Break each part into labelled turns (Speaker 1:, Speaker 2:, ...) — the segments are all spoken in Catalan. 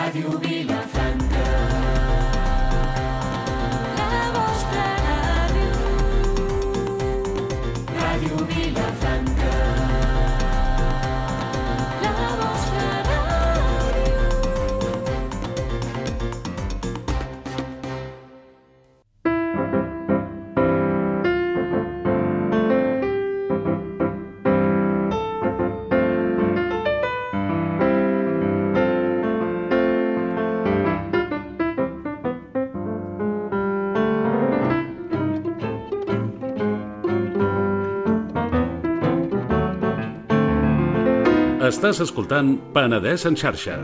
Speaker 1: Ràdio Vilafranca. La vostra ràdio. Ràdio Vilafranca. La vostra ràdio.
Speaker 2: Estàs escoltant Penedès en xarxa.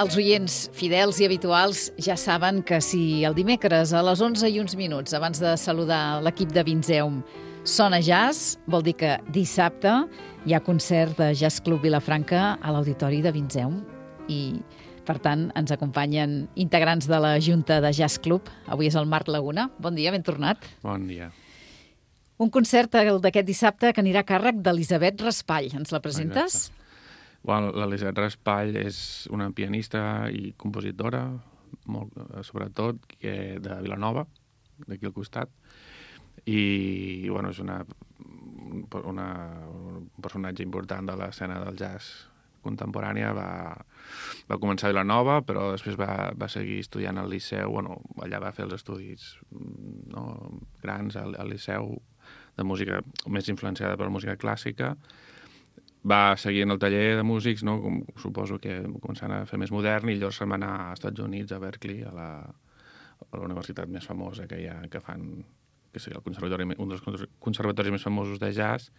Speaker 3: Els oients fidels i habituals ja saben que si el dimecres a les 11 i uns minuts, abans de saludar l'equip de Vinzeum, sona jazz, vol dir que dissabte hi ha concert de Jazz Club Vilafranca a l'Auditori de Vinzeum. I, per tant, ens acompanyen integrants de la Junta de Jazz Club. Avui és el Marc Laguna. Bon dia, ben tornat.
Speaker 4: Bon dia.
Speaker 3: Un concert d'aquest dissabte que anirà a càrrec d'Elisabet Raspall. Ens la presentes?
Speaker 4: Exacte. Bueno, l'Elisabet Raspall és una pianista i compositora, sobretot, de Vilanova, d'aquí al costat, i bueno, és un personatge important de l'escena del jazz contemporània. Va començar a Vilanova, però després va seguir estudiant al Liceu. Bueno, allà va fer els estudis grans al Liceu de música més influenciada per la música clàssica. Va seguir en el taller de músics, no? Com suposo que començant a fer més modern, i llavors se'n va anar als Estats Units, a Berkeley, a la universitat més famosa que hi ha, que fan, que és un dels conservatoris més famosos de jazz,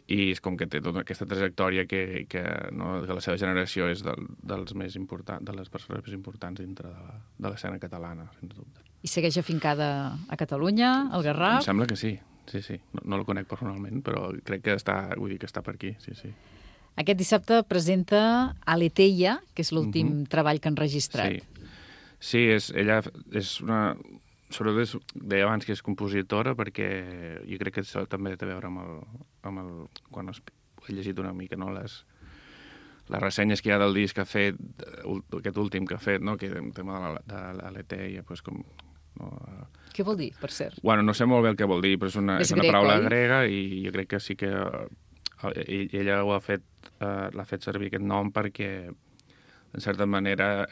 Speaker 4: i és com que té tota aquesta trajectòria que la seva generació és dels més importants, de les persones més importants dintre de l'escena catalana, sens dubte.
Speaker 3: I segueix afincada a Catalunya, al Garraf?
Speaker 4: Em sembla que sí. Sí. No el conec personalment, però crec que està per aquí, sí.
Speaker 3: Aquest dissabte presenta Aletheia, que és l'últim treball que han registrat.
Speaker 4: Sí, ella és una... Sobretot deia abans que és compositora, perquè jo crec que això també té a veure amb el quan he llegit una mica, no? Les ressenyes que hi ha del disc que ha fet, aquest últim que ha fet, no? Que el tema de l'Aletheia, doncs com... No,
Speaker 3: què vol dir, per cert?
Speaker 4: Bueno, no sé molt bé el que vol dir, però és una paraula grega, i jo crec que sí que ella l'ha fet servir aquest nom perquè, en certa manera,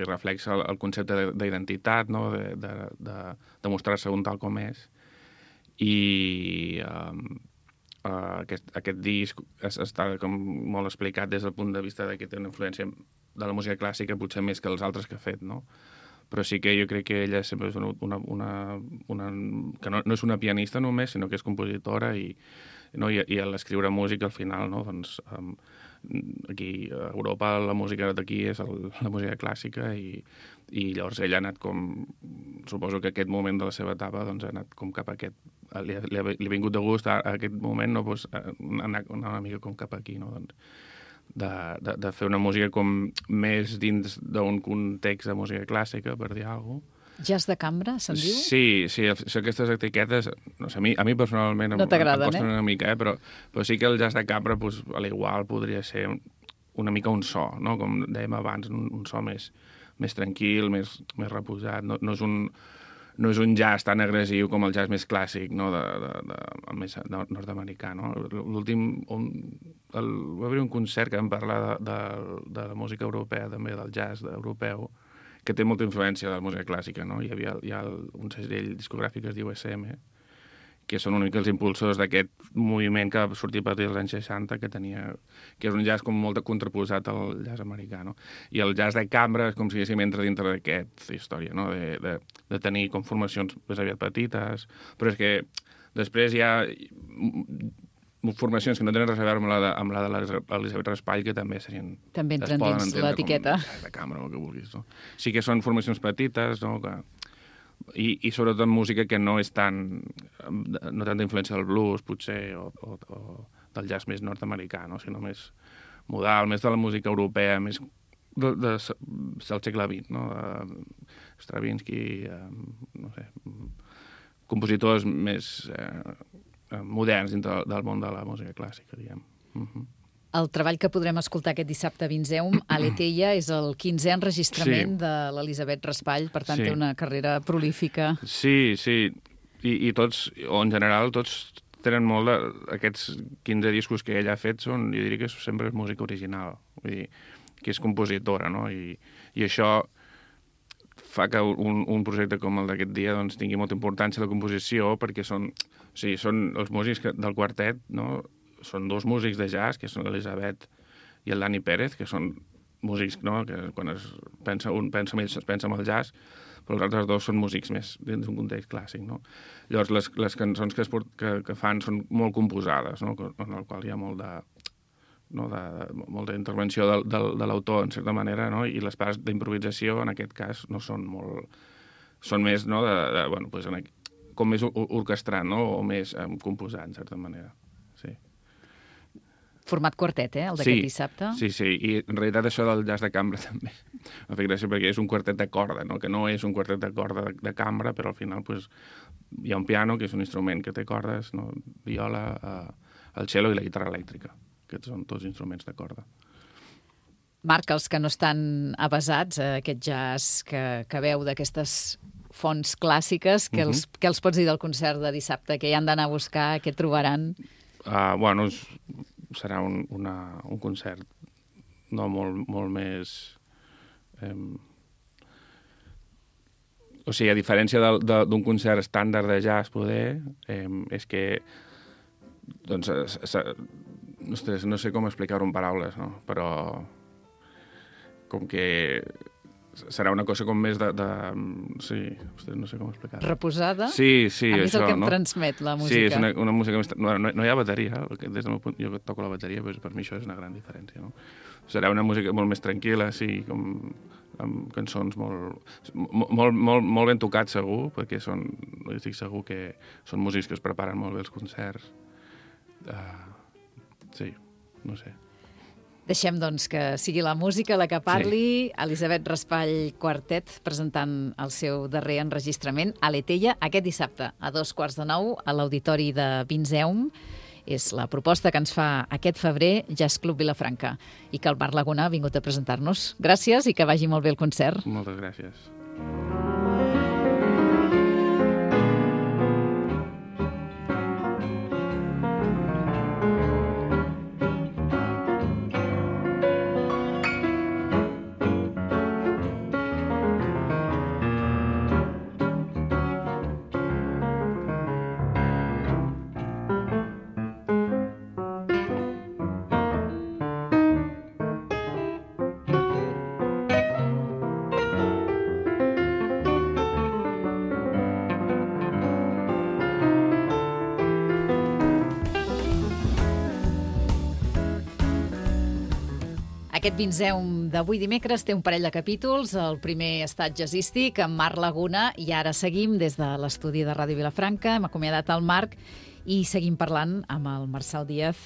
Speaker 4: reflexa el concepte d'identitat, no? de mostrar-se un tal com és. I aquest disc està com molt explicat des del punt de vista que té una influència de la música clàssica, potser més que els altres que ha fet, no? Però sí que jo crec que ella sempre és que no és una pianista només, sinó que és compositora, i a l'escriure música al final, no? Doncs, aquí a Europa la música d'aquí és la música clàssica, i llavors ella ha anat com... Suposo que aquest moment de la seva etapa doncs, ha anat com cap a aquest... Li ha vingut de gust a aquest moment, no? Doncs, anar una mica com cap aquí, no? Doncs, de fer una música com més dins d'un context de música clàssica, per dir alguna cosa.
Speaker 3: Jazz de cambra, se'n diu?
Speaker 4: Sí, aquestes etiquetes, no sé, a mi personalment
Speaker 3: no t'agraden,
Speaker 4: em costen una mica, però sí que el jazz de cambra, doncs, a l'igual podria ser una mica un so, no? Com dèiem abans, un so més tranquil, més reposat. No és un jazz tan agressiu com el jazz més clàssic, no? Més nord-americà, no? L'últim... Va haver un concert que vam parlar de la música europea, també del jazz europeu, que té molta influència de la música clàssica, no? Hi ha un segell discogràfic que es diu SM, que són una mica els impulsors d'aquest moviment que va sortir a partir dels anys 60, que és un jazz com molt contraposat al jazz americà, no? I el jazz de cambra és com si diguéssim entra dintre d'aquesta història, no? De tenir com formacions més aviat petites, però és que després hi ha formacions que no tenen res a veure amb la de l'Elisabet Raspall, que també serien...
Speaker 3: També entren dins l'etiqueta.
Speaker 4: De cambra, o el que vulguis, no? Sí que són formacions petites, no?, i sobretot música que no és no tanta influència del blues, potser, o del jazz més nord-americà, no?, sinó més modal, més de la música europea, més del segle XX, no?, Stravinsky, no sé, compositors més moderns dintre del món de la música clàssica, diguem.
Speaker 3: El treball que podrem escoltar aquest dissabte a Vinzeum, Aletheia, és el 15è enregistrament de l'Elisabet Raspall, per tant té una carrera prolífica.
Speaker 4: Sí, i tots, o en general, tots tenen molt aquests 15 discos que ella ha fet, jo diria que sempre és música original, vull dir, que és compositora, no? I això fa que un projecte com el d'aquest dia doncs, tingui molta importància la composició, perquè són els músics del quartet, no?, són dos músics de jazz, que són l'Elisabet i el Dani Pérez, que són músics, no?, que quan un pensa en ells es pensa en el jazz, però els altres dos són músics més dins d'un context clàssic, no? Llavors, les cançons que fan són molt composades, no?, en el qual hi ha molta intervenció de l'autor, en certa manera, no?, i les parts d'improvisació, en aquest cas, no són molt... Són més, no?, com més orquestrant, no?, o més composant, en certa manera, sí.
Speaker 3: Format quartet, el d'aquest dissabte?
Speaker 4: Sí, i en realitat això del jazz de cambra també m'ha fet gràcia perquè és un quartet de corda, no?, que no és un quartet de corda de cambra, però al final pues, hi ha un piano, que és un instrument que té cordes, no?, viola, el cello i la guitarra elèctrica. Aquests són tots instruments de corda.
Speaker 3: Marc, els que no estan avasats a aquest jazz que veu d'aquestes fonts clàssiques, què els pots dir del concert de dissabte? Què hi han d'anar a buscar? Què trobaran?
Speaker 4: Bueno, serà un concert no molt més... O sigui, a diferència d'un concert estàndard de jazz, poder, és que doncs, ostres, no sé com explicar-ho en paraules, no? Però com que serà una cosa com més sí, ostres, no sé com explicar-ho.
Speaker 3: Reposada?
Speaker 4: Sí,
Speaker 3: a mi és el que em transmet la música.
Speaker 4: Sí, és una música més... No hi ha bateria, des del meu punt, jo toco la bateria, doncs per mi això és una gran diferència, no? Serà una música molt més tranquil·la, sí, com amb cançons molt ben tocats, segur, perquè estic segur que són músics que es preparen molt bé els concerts. Sí, no sé.
Speaker 3: Deixem, doncs, que sigui la música la que parli. Elisabet Raspall Quartet presentant el seu darrer enregistrament, Aletheia, aquest dissabte a 9:15 a l'Auditori de Vinzeum. És la proposta que ens fa aquest febrer Jazz Club Vilafranca i que el Marc Laguna ha vingut a presentar-nos. Gràcies i que vagi molt bé el concert.
Speaker 4: Moltes gràcies.
Speaker 3: Aquest Vinzeum d'avui dimecres té un parell de capítols. El primer estat jazzístic amb Marc Laguna i ara seguim des de l'estudi de Ràdio Vilafranca. Hem acomiadat el Marc i seguim parlant amb el Marçal Díaz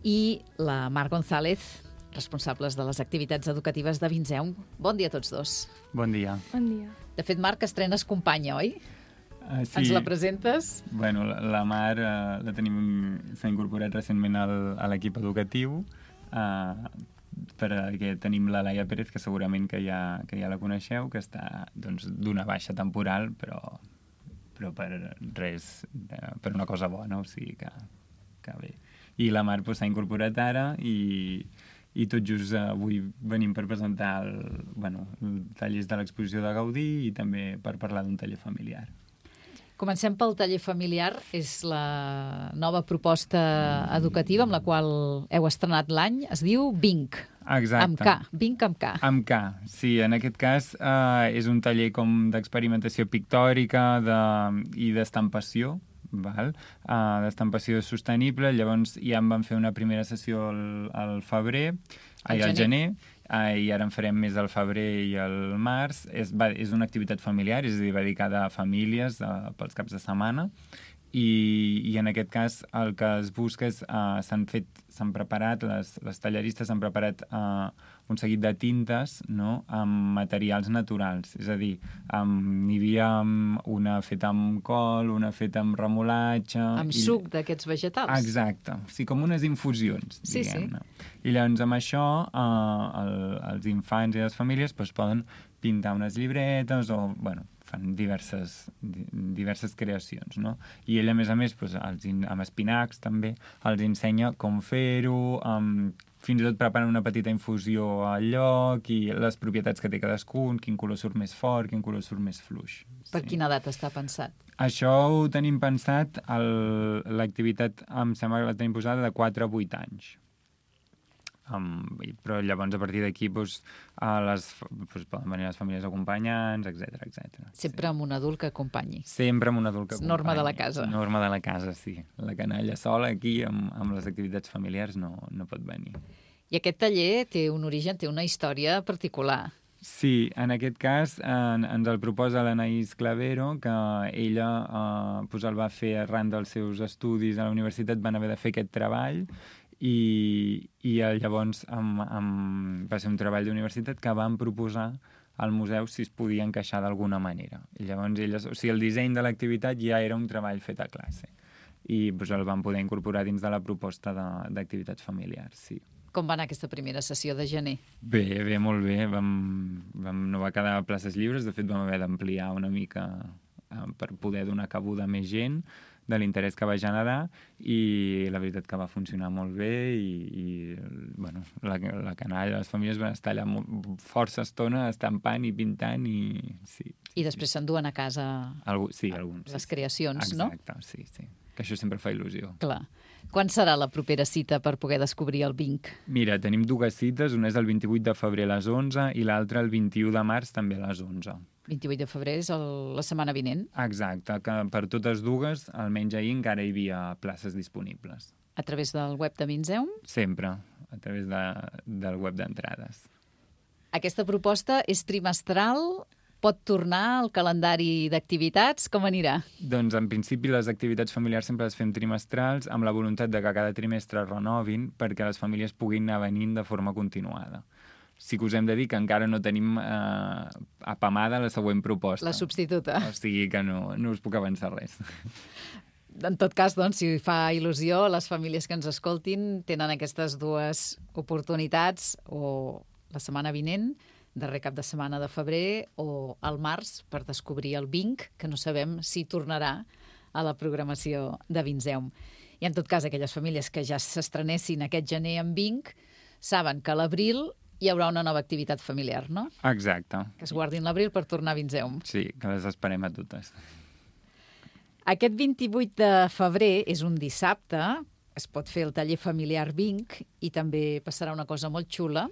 Speaker 3: i la Mar González, responsables de les activitats educatives de Vinzeum. Bon dia a tots dos.
Speaker 5: Bon dia.
Speaker 1: Bon dia.
Speaker 3: De fet, Marc, estrenes companya, oi?
Speaker 5: Sí.
Speaker 3: Ens la presentes?
Speaker 5: Bueno, la Mar s'ha incorporat recentment a l'equip educatiu, perquè tenim la Laia Pérez, que segurament que ja la coneixeu, que està d'una baixa temporal, però per res, per una cosa bona, o sigui que bé. I la Mar s'ha incorporat ara i i tot just avui venim per presentar tallers de l'exposició de Gaudí i també per parlar d'un taller familiar.
Speaker 3: Comencem pel taller familiar. És la nova proposta educativa amb la qual heu estrenat l'any. Es diu Vinc.
Speaker 5: Exacte.
Speaker 3: Amb K. Vinc amb K.
Speaker 5: Amb K, sí. En aquest cas és un taller com d'experimentació pictòrica i d'estampació, d'estampació sostenible. Llavors ja en vam fer una primera sessió al gener, i ara en farem més al febrer i al març. És una activitat familiar, és a dir, dedicada a famílies pels caps de setmana, i en aquest cas el que es busca és s'han preparat, les talleristes han preparat un seguit de tintes, no?, amb materials naturals, és a dir, n'hi havia una feta amb col, una feta amb remolatge...
Speaker 3: Amb suc d'aquests vegetals.
Speaker 5: Exacte, sí, com unes infusions, diguem-ne. I llavors amb això els infants i les famílies poden pintar unes llibretes o, fan diverses creacions, no? I ell, a més, amb espinacs també, els ensenya com fer-ho, fins i tot preparen una petita infusió al lloc i les propietats que té cadascun, quin color surt més fort, quin color surt més fluix.
Speaker 3: Per quina edat està pensat?
Speaker 5: Això ho tenim pensat, l'activitat em sembla que la tenim posada de 4 a 8 anys. Però llavors a partir d'aquí poden venir les famílies acompanyants, etc.
Speaker 3: Sempre amb un adult que acompanyi.
Speaker 5: Sempre amb un adult que acompanyi.
Speaker 3: Norma de la casa.
Speaker 5: Norma de la casa, sí. La canalla sola aquí amb les activitats familiars no pot venir.
Speaker 3: I aquest taller té un origen, té una història particular.
Speaker 5: Sí, en aquest cas ens el proposa l'Anaïs Clavero, que ella el va fer arran dels seus estudis a la universitat, van haver de fer aquest treball, i llavors va ser un treball d'universitat que van proposar al museu si es podia encaixar d'alguna manera. I llavors el disseny de l'activitat ja era un treball fet a classe i el van poder incorporar dins de la proposta d'activitats familiars, sí.
Speaker 3: Com va anar aquesta primera sessió de gener?
Speaker 5: Bé, molt bé. No va quedar places lliures, de fet vam haver d'ampliar una mica per poder donar cabuda a més gent de l'interès que va generar, i la veritat que va funcionar molt bé i la canalla, les famílies van estar allà força estona estampant i pintant sí.
Speaker 3: I després s'enduen a casa les creacions, no?
Speaker 5: Exacte, sí. Que això sempre fa il·lusió.
Speaker 3: Clar. Quan serà la propera cita per poder descobrir el Vinc?
Speaker 5: Mira, tenim 2 cites, una és el 28 de febrer a les 11 i l'altra el 21 de març també a les 11.
Speaker 3: 28 de febrer és la setmana vinent?
Speaker 5: Exacte, que per totes 2, almenys ahir, encara hi havia places disponibles.
Speaker 3: A través del web de Vinzeum?
Speaker 5: Sempre, a través del web d'entrades.
Speaker 3: Aquesta proposta és trimestral? Pot tornar al calendari d'activitats? Com anirà?
Speaker 5: Doncs, en principi, les activitats familiars sempre les fem trimestrals, amb la voluntat de que cada trimestre es renovin perquè les famílies puguin anar venint de forma continuada. Sí que us hem de dir que encara no tenim apamada la següent proposta.
Speaker 3: La substituta.
Speaker 5: O sigui que no us puc avançar res.
Speaker 3: En tot cas, doncs, si fa il·lusió, les famílies que ens escoltin tenen aquestes 2 oportunitats, o la setmana vinent, darrer cap de setmana de febrer, o al març, per descobrir el Vinc, que no sabem si tornarà a la programació de Vinzeum. I en tot cas, aquelles famílies que ja s'estrenessin aquest gener amb Vinc saben que a l'abril hi haurà una nova activitat familiar, no?
Speaker 5: Exacte.
Speaker 3: Que es guardin l'abril per tornar a Vinzeum.
Speaker 5: Sí, que les esperem a totes.
Speaker 3: Aquest 28 de febrer és un dissabte, es pot fer el taller familiar Vinc, i també passarà una cosa molt xula,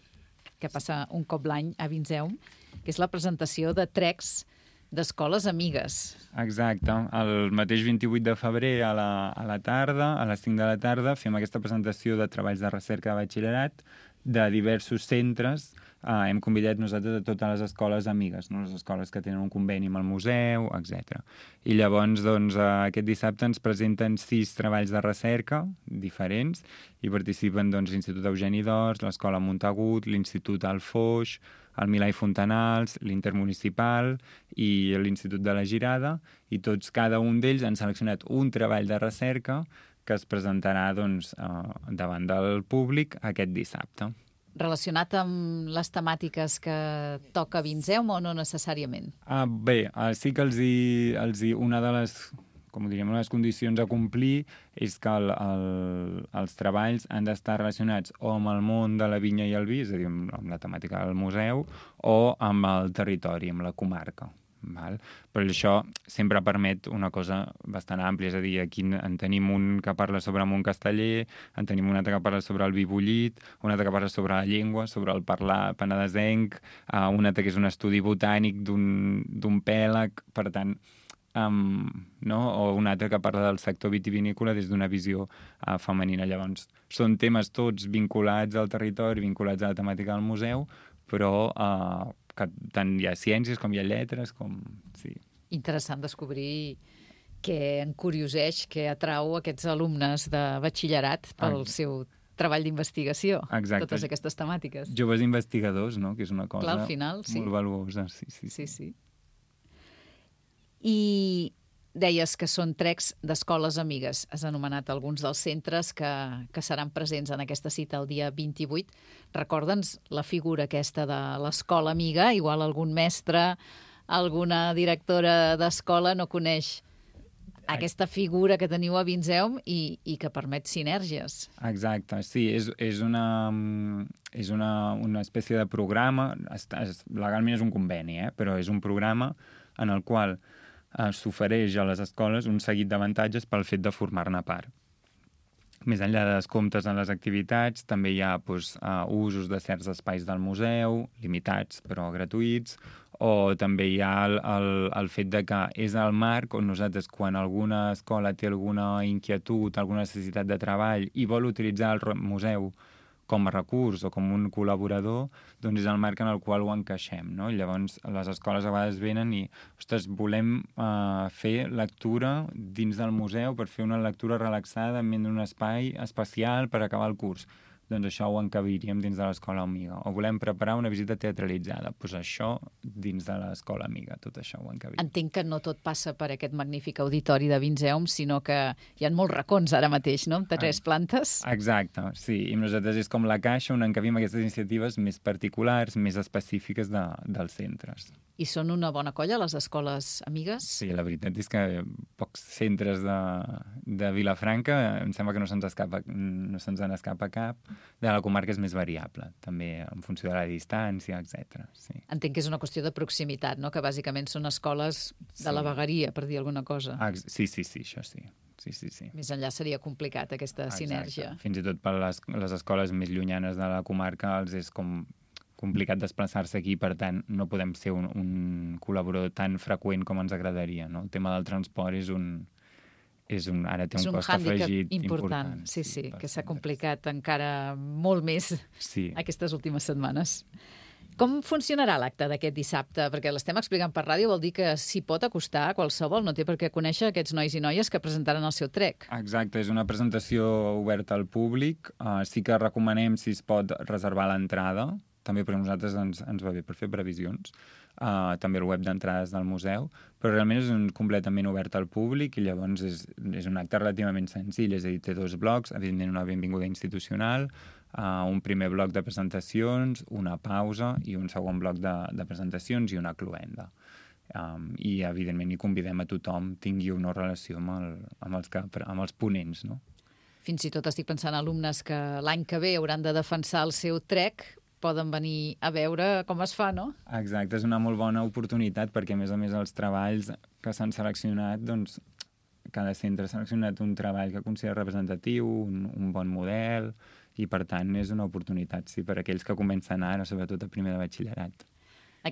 Speaker 3: que passa un cop l'any a Vinzeum, que és la presentació de trecs d'escoles amigues.
Speaker 5: Exacte. El mateix 28 de febrer a la tarda, a les 5 de la tarda, fem aquesta presentació de treballs de recerca de batxillerat de diversos centres. Hem convidat nosaltres a totes les escoles amigues, no? Les escoles que tenen un conveni amb el museu, etc. I llavors, doncs, aquest dissabte ens presenten 6 treballs de recerca diferents i participen, doncs, l'Institut Eugeni d'Ors, l'Escola Montagut, l'Institut Alfoix, el Milà i Fontanals, l'Intermunicipal i l'Institut de la Girada, i cada un d'ells han seleccionat un treball de recerca que es presentarà, doncs, davant del públic aquest dissabte.
Speaker 3: Relacionat amb les temàtiques que toca Vinzeum o no necessàriament?
Speaker 5: Bé, sí que una de les com ho diríem, les condicions a complir és que els treballs han d'estar relacionats o amb el món de la vinya i el vi, és a dir, amb la temàtica del museu, o amb el territori, amb la comarca. Val? Però això sempre permet una cosa bastant àmplia, és a dir, aquí en tenim un que parla sobre Montcasteller, en tenim un altre que parla sobre el vi bullit, un altre que parla sobre la llengua, sobre el parlar penedesenc, un altre que és un estudi botànic d'un pèlag, per tant, no? O un altre que parla del sector vitivinícola des d'una visió femenina. Llavors, són temes tots vinculats al territori, vinculats a la temàtica del museu, però que tant hi ha ciències com hi ha lletres, com... Sí.
Speaker 3: Interessant descobrir què encurioseix, què atrau aquests alumnes de batxillerat pel seu treball d'investigació, totes aquestes temàtiques.
Speaker 5: Joves investigadors, no? Que és una cosa
Speaker 3: al final, sí.
Speaker 5: Molt valuosa. Sí.
Speaker 3: I deies que són trecs d'escoles amigues. Has anomenat alguns dels centres que seran presents en aquesta cita el dia 28. Recorda'ns la figura aquesta de l'escola amiga. Igual algun mestre, alguna directora d'escola no coneix aquesta figura que teniu a Vinzeum i que permet sinergies.
Speaker 5: Exacte, sí, és una espècie de programa, legalment és un conveni, però és un programa en el qual s'ofereix a les escoles un seguit d'avantatges pel fet de formar-ne part. Més enllà de descomptes en les activitats, també hi ha usos de certs espais del museu, limitats però gratuïts, o també hi ha el fet de que és el marc on nosaltres, quan alguna escola té alguna inquietud, alguna necessitat de treball i vol utilitzar el museu com a recurs o com un col·laborador, doncs és el marc en el qual ho encaixem, no? Llavors, les escoles a vegades venen i, ostres, volem fer lectura dins del museu per fer una lectura relaxada en un espai especial per acabar el curs. Doncs això ho encabiríem dins de l'escola amiga. O volem preparar una visita teatralitzada. Doncs això dins de l'escola amiga, tot això ho encabiríem.
Speaker 3: Entenc que no tot passa per aquest magnífic auditori de Vinzeum, sinó que hi ha molts racons ara mateix, no? De 3 plantes.
Speaker 5: Exacte, sí. I nosaltres és com la caixa on encabim aquestes iniciatives més particulars, més específiques dels centres.
Speaker 3: I són una bona colla, les escoles amigues?
Speaker 5: Sí, la veritat és que pocs centres de Vilafranca, em sembla que no se'ns en escapa cap. De la comarca és més variable, també en funció de la distància, etc. Sí.
Speaker 3: Entenc que és una qüestió de proximitat, no? Que bàsicament són escoles de la vegueria, per dir alguna cosa.
Speaker 5: Sí, això sí. Sí.
Speaker 3: Més enllà seria complicat aquesta sinergia.
Speaker 5: Fins i tot per les escoles més llunyanes de la comarca els és com complicat desplaçar-se aquí, per tant, no podem ser un col·laborador tan freqüent com ens agradaria, no? El tema del transport ara té un cost afegit important.
Speaker 3: Sí, que s'ha complicat encara molt més aquestes últimes setmanes. Com funcionarà l'acte d'aquest dissabte? Perquè l'estem explicant per ràdio, vol dir que s'hi pot acostar a qualsevol, no té per què conèixer aquests nois i noies que presentaran el seu trec.
Speaker 5: Exacte, és una presentació oberta al públic. Sí que recomanem, si es pot, reservar l'entrada, també per nosaltres ens va bé per fer previsions, també el web d'entrades del museu, però realment és completament obert al públic i llavors és un acte relativament senzill, és a dir, té 2 blocs, evidentment una benvinguda institucional, un primer bloc de presentacions, una pausa i un segon bloc de presentacions i una cloenda. I evidentment hi convidem a tothom, tingui una relació amb els ponents, no?
Speaker 3: Fins i tot estic pensant en alumnes que l'any que ve hauran de defensar el seu trec, poden venir a veure com es fa, no?
Speaker 5: Exacte, és una molt bona oportunitat perquè, a més, els treballs que s'han seleccionat, doncs, cada centre ha seleccionat un treball que considera representatiu, un bon model, i, per tant, és una oportunitat, sí, per a aquells que comencen ara, sobretot a primer de batxillerat.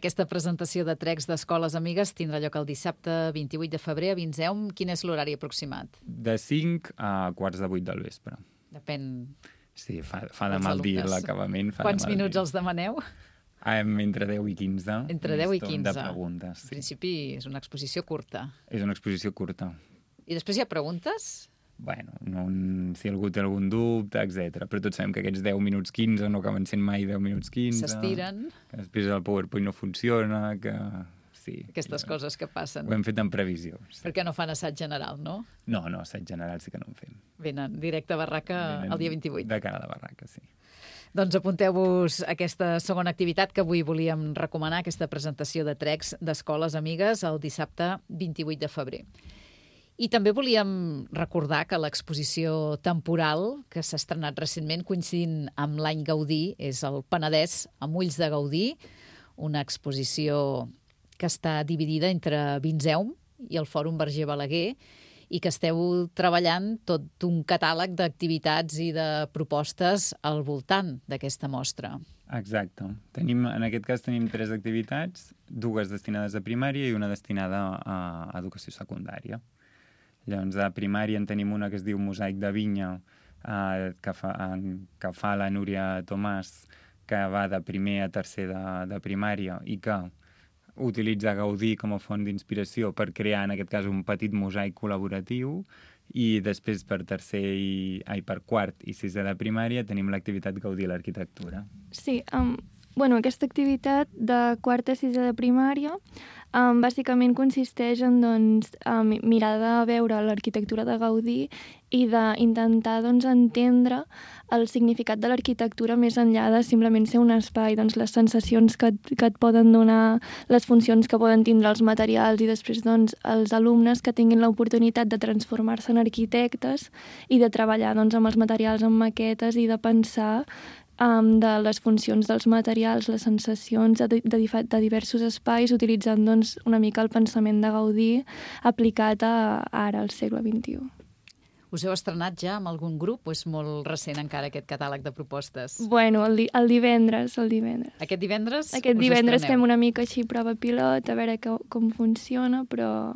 Speaker 3: Aquesta presentació de trecs d'escoles amigues tindrà lloc el dissabte 28 de febrer a Vinzeum. Quin és l'horari aproximat?
Speaker 5: De 5 a 7:45 del vespre.
Speaker 3: Depèn...
Speaker 5: Sí, fa de mal dir l'acabament.
Speaker 3: Quants minuts els demaneu?
Speaker 5: Entre 10 i 15.
Speaker 3: Entre 10 i 15.
Speaker 5: De preguntes, sí.
Speaker 3: En principi és una exposició curta.
Speaker 5: És una exposició curta.
Speaker 3: I després hi ha preguntes?
Speaker 5: Bueno, si algú té algun dubte, etc. Però tots sabem que aquests 10 minuts 15 no acaben sent mai 10 minuts 15.
Speaker 3: S'estiren.
Speaker 5: Que després el PowerPoint no funciona, que... Sí,
Speaker 3: aquestes coses que passen.
Speaker 5: Ho hem fet en previsió. Sí.
Speaker 3: Perquè no fan assaig general, no?
Speaker 5: No, assaig general sí que no en fem.
Speaker 3: Venen directe a barraca el dia 28.
Speaker 5: De cara a la barraca, sí.
Speaker 3: Doncs apunteu-vos aquesta segona activitat que avui volíem recomanar, aquesta presentació de trecs d'escoles amigues el dissabte 28 de febrer. I també volíem recordar que l'exposició temporal que s'ha estrenat recentment coincidint amb l'any Gaudí és el Penedès amb ulls de Gaudí, una exposició que està dividida entre Vinzeum i el Fòrum Verger Balaguer i que esteu treballant tot un catàleg d'activitats i de propostes al voltant d'aquesta mostra.
Speaker 5: Exacte. En aquest cas tenim 3 activitats, 2 destinades a primària i una destinada a educació secundària. Llavors, a primària en tenim una que es diu Mosaic de Vinya, que fa la Núria Tomàs, que va de primer a tercer de primària i que utilitza Gaudí com a font d'inspiració per crear, en aquest cas, un petit mosaic col·laboratiu. I després per per quart i sisè de primària tenim l'activitat Gaudí a l'arquitectura.
Speaker 6: Sí, aquesta activitat de quarta a sisè de primària bàsicament consisteix en mirar de veure l'arquitectura de Gaudí i d'intentar entendre el significat de l'arquitectura més enllà de simplement ser un espai, les sensacions que et poden donar, les funcions que poden tindre els materials i després els alumnes que tinguin l'oportunitat de transformar-se en arquitectes i de treballar amb els materials, amb maquetes i de pensar de les funcions dels materials, les sensacions de diversos espais, utilitzant una mica el pensament de Gaudí aplicat ara, al segle XXI.
Speaker 3: Us heu estrenat ja amb algun grup o és molt recent encara aquest catàleg de propostes?
Speaker 6: Bueno, el divendres.
Speaker 3: Aquest divendres?
Speaker 6: Aquest divendres fem una mica així prova pilot, a veure com funciona, però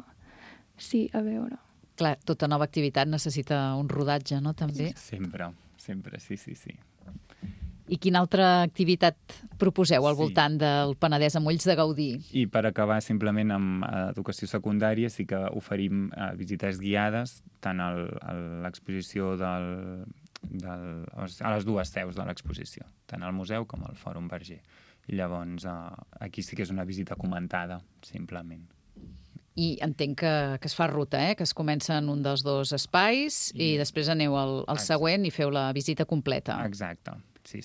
Speaker 6: sí, a veure.
Speaker 3: Clar, tota nova activitat necessita un rodatge, no, també?
Speaker 5: Sempre, sí.
Speaker 3: I quina altra activitat proposeu al voltant del Penedès amb ulls de Gaudí?
Speaker 5: I per acabar simplement amb educació secundària sí que oferim visites guiades tant a l'exposició a les 2 seus de l'exposició, tant al museu com al Fòrum Verger. I llavors aquí sí que és una visita comentada, simplement.
Speaker 3: I entenc que es fa ruta, que es comença en un dels 2 espais i després aneu al següent i feu la visita completa.
Speaker 5: Exacte. Sí.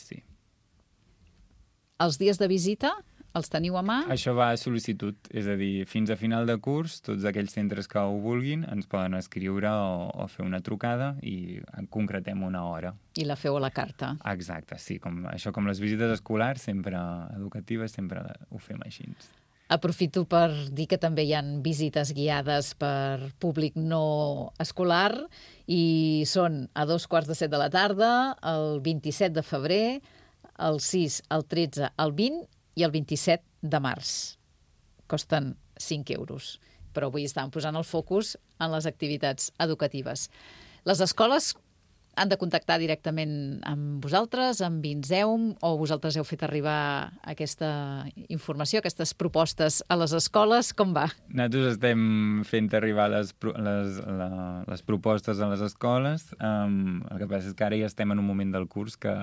Speaker 3: Els dies de visita els teniu a mà?
Speaker 5: Això va a sol·licitud, és a dir, fins a final de curs, tots aquells centres que ho vulguin ens poden escriure o fer una trucada i en concretem una hora.
Speaker 3: I la feu a la carta.
Speaker 5: Exacte, sí. Com les visites escolars, sempre educatives, sempre ho fem així.
Speaker 3: Aprofito per dir que també hi ha visites guiades per públic no escolar i són a 7:15 de la tarda, el 27 de febrer, el 6, el 13, el 20 i el 27 de març. Costen 5 €, però avui estàvem posant el focus en les activitats educatives. Les escoles han de contactar directament amb vosaltres, amb Vinzeum, o vosaltres heu fet arribar aquesta informació, aquestes propostes a les escoles? Com va?
Speaker 5: Nosaltres estem fent arribar les propostes a les escoles. El que passa és que ara ja estem en un moment del curs que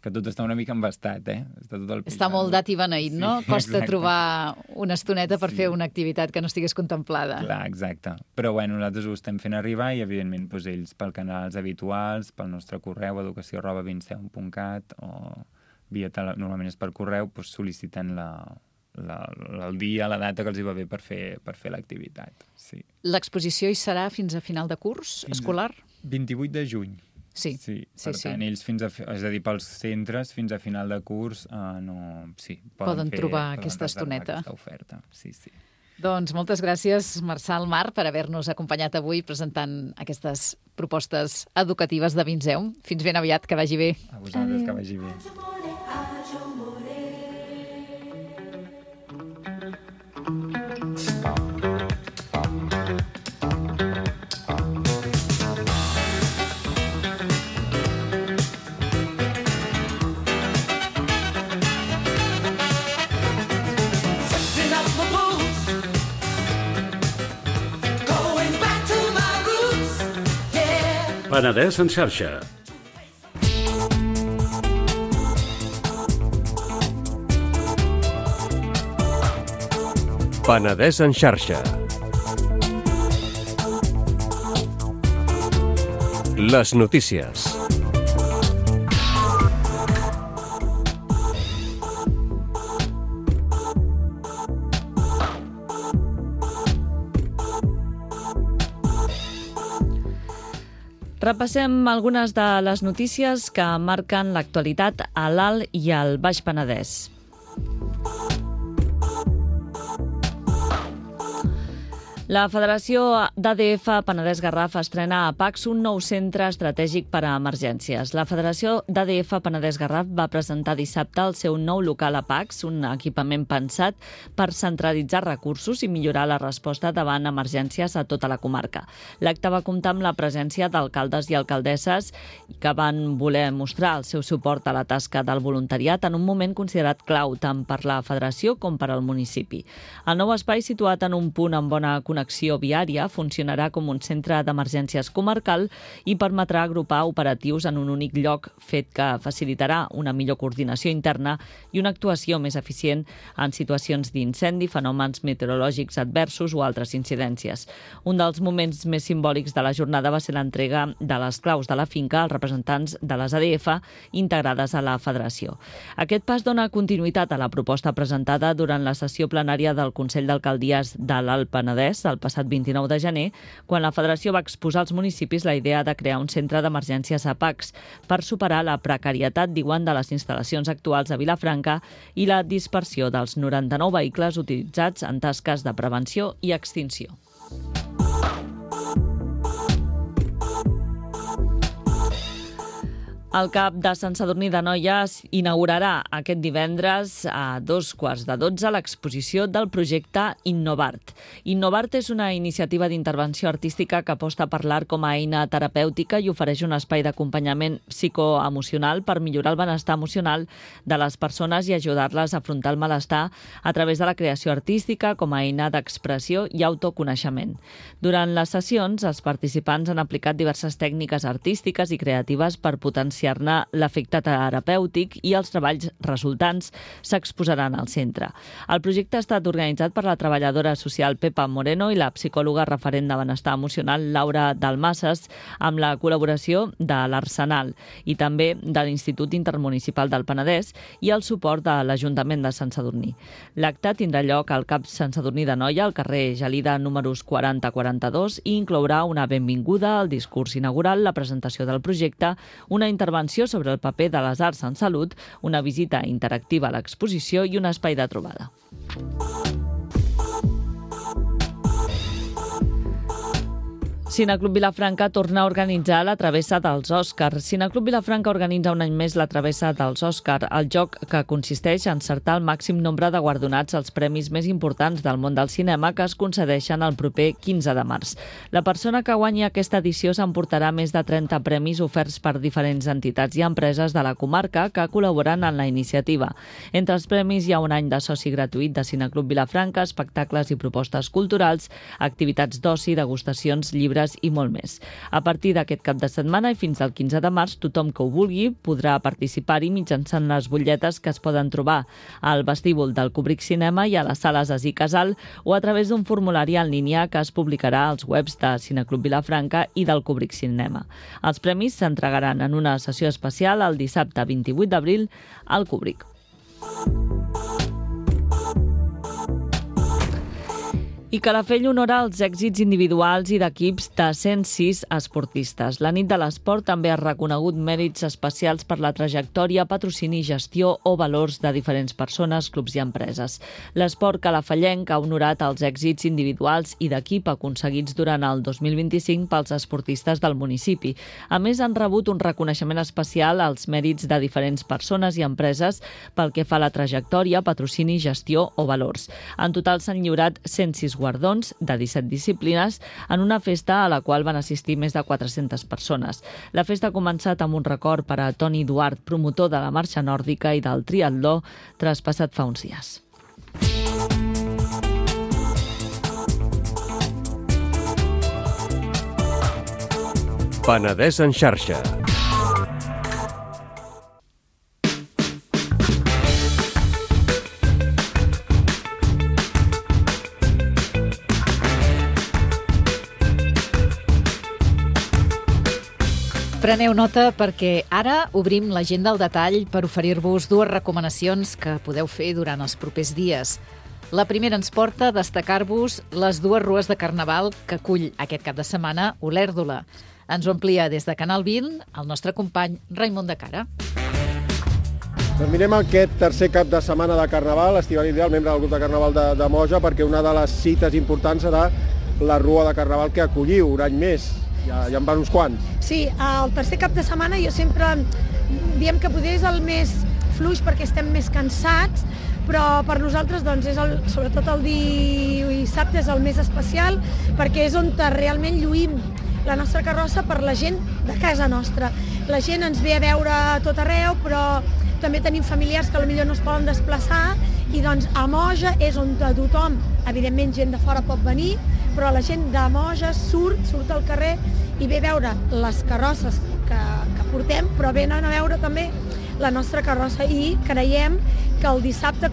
Speaker 5: tot està una mica embastat, Està tot al
Speaker 3: Està molt dat i beneït, no?
Speaker 5: Sí,
Speaker 3: costa
Speaker 5: exacte.
Speaker 3: Trobar una estoneta per fer una activitat que no estigués contemplada.
Speaker 5: Clar, exacte. Però bueno, nosaltres ho estem fent arribar i, evidentment, ells pel canals habituals, pel nostre correu, educació@vinzeum.cat o normalment és per correu, sol·liciten el dia, la data que els hi va bé per fer l'activitat. Sí.
Speaker 3: L'exposició hi serà fins a final de curs escolar?
Speaker 5: 28 de juny.
Speaker 3: Sí.
Speaker 5: Per tant, ells és a dir, pels centres fins a final de curs
Speaker 3: poden trobar aquesta estoneta.
Speaker 5: Aquesta oferta. Sí.
Speaker 3: Doncs moltes gràcies, Marçal Mar, per haver-nos acompanyat avui presentant aquestes propostes educatives de Vinzeum. Fins ben aviat, que vagi bé.
Speaker 5: A vosaltres, que vagi bé.
Speaker 2: Penedès en xarxa.
Speaker 7: Penedès en xarxa. Les notícies.
Speaker 8: Repassem algunes de les notícies que marquen l'actualitat a l'Alt i al Baix Penedès. La Federació d'ADF Penedès Garraf estrena a PACS un nou centre estratègic per a emergències. La Federació d'ADF Penedès Garraf va presentar dissabte el seu nou local a PACS, un equipament pensat per centralitzar recursos i millorar la resposta davant emergències a tota la comarca. L'acte va comptar amb la presència d'alcaldes i alcaldesses que van voler mostrar el seu suport a la tasca del voluntariat en un moment considerat clau tant per la Federació com per al municipi. El nou espai, situat en un punt amb bona connexió viària, funcionarà com un centre d'emergències comarcal i permetrà agrupar operatius en un únic lloc, fet que facilitarà una millor coordinació interna i una actuació més eficient en situacions d'incendi, fenòmens meteorològics adversos o altres incidències. Un dels moments més simbòlics de la jornada va ser l'entrega de les claus de la finca als representants de les ADF integrades a la Federació. Aquest pas dona continuïtat a la proposta presentada durant la sessió plenària del Consell d'Alcaldies de l'Alt Penedès el passat 29 de gener, quan la Federació va exposar als municipis la idea de crear un centre d'emergències a PACS per superar la precarietat, diuen, de les instal·lacions actuals a Vilafranca i la dispersió dels 99 vehicles utilitzats en tasques de prevenció i extinció. El CAP de Sant Sadurní d'Anoia inaugurarà aquest divendres a 11:15 l'exposició del projecte Innovart. Innovart és una iniciativa d'intervenció artística que aposta per l'art com a eina terapèutica i ofereix un espai d'acompanyament psicoemocional per millorar el benestar emocional de les persones i ajudar-les a afrontar el malestar a través de la creació artística com a eina d'expressió i autoconeixement. Durant les sessions, els participants han aplicat diverses tècniques artístiques i creatives per potenciar l'efecte terapèutic i els treballs resultants s'exposaran al centre. El projecte ha estat organitzat per la treballadora social Pepa Moreno i la psicòloga referent de benestar emocional Laura Dalmases, amb la col·laboració de l'Arsenal i també de l'Institut Intermunicipal del Penedès i el suport de l'Ajuntament de Sant Sadurní. L'acte tindrà lloc al CAP Sant Sadurní d'Anoia, al carrer Gelida números 40-42, i inclourà una benvinguda, el discurs inaugural, la presentació del projecte, una intervenció sobre el paper de les arts en salut, una visita interactiva a l'exposició i un espai de trobada. Cineclub Vilafranca torna a organitzar la Travessa dels Òscar. Cineclub Vilafranca organitza un any més la Travessa dels Òscar, el joc que consisteix en encertar el màxim nombre de guardonats als premis més importants del món del cinema que es concedeixen el proper 15 de març. La persona que guanyi aquesta edició s'emportarà més de 30 premis oferts per diferents entitats i empreses de la comarca que col·laboren en la iniciativa. Entre els premis hi ha un any de soci gratuït de Cineclub Vilafranca, espectacles i propostes culturals, activitats d'oci, degustacions, llibres i molt més. A partir d'aquest cap de setmana i fins al 15 de març, tothom que ho vulgui podrà participar-hi mitjançant les butlletes que es poden trobar al vestíbul del Kubrick Cinema i a les sales Así Casal o a través d'un formulari en línia que es publicarà als webs de Cineclub Vilafranca i del Kubrick Cinema. Els premis s'entregaran en una sessió especial el dissabte 28 d'abril al Kubrick. I Calafell honora els èxits individuals i d'equips de 106 esportistes. La nit de l'esport també ha reconegut mèrits especials per la trajectòria, patrocini, gestió o valors de diferents persones, clubs i empreses. L'esport calafellenc ha honorat els èxits individuals i d'equip aconseguits durant el 2025 pels esportistes del municipi. A més, han rebut un reconeixement especial als mèrits de diferents persones i empreses pel que fa a la trajectòria, patrocini, gestió o valors. En total s'han lliurat 106 guardons de 17 disciplines en una festa a la qual van assistir més de 400 persones. La festa ha començat amb un record per a Toni Duart, promotor de la marxa nòrdica i del triatló, traspassat fa uns dies.
Speaker 7: Penedès en xarxa.
Speaker 3: Preneu nota perquè ara obrim l'agenda al detall per oferir-vos dues recomanacions que podeu fer durant els propers dies. La primera ens porta a destacar-vos les dues rues de Carnaval que acull aquest cap de setmana Olèrdola. Ens ho amplia des de Canal 20 el nostre company Raimon de Cara.
Speaker 9: Doncs mirem aquest tercer cap de setmana de Carnaval, Estivali Ideal, membre del grup de Carnaval de Moja, perquè una de les cites importants serà la Rua de Carnaval que acolliu un any més. Ja en van uns quants.
Speaker 10: Sí, el tercer cap de setmana jo sempre diem que potser és el més fluix perquè estem més cansats, però per nosaltres doncs, és sobretot el dissabte és el més especial perquè és on realment lluïm la nostra carrossa per la gent de casa nostra. La gent ens ve a veure a tot arreu, però també tenim familiars que potser no es poden desplaçar i doncs a Moja és on tothom, evidentment gent de fora pot venir, però la gent de Moja surt al carrer i ve a veure les carrosses que portem, però venen a veure també la nostra carrossa i creiem que el dissabte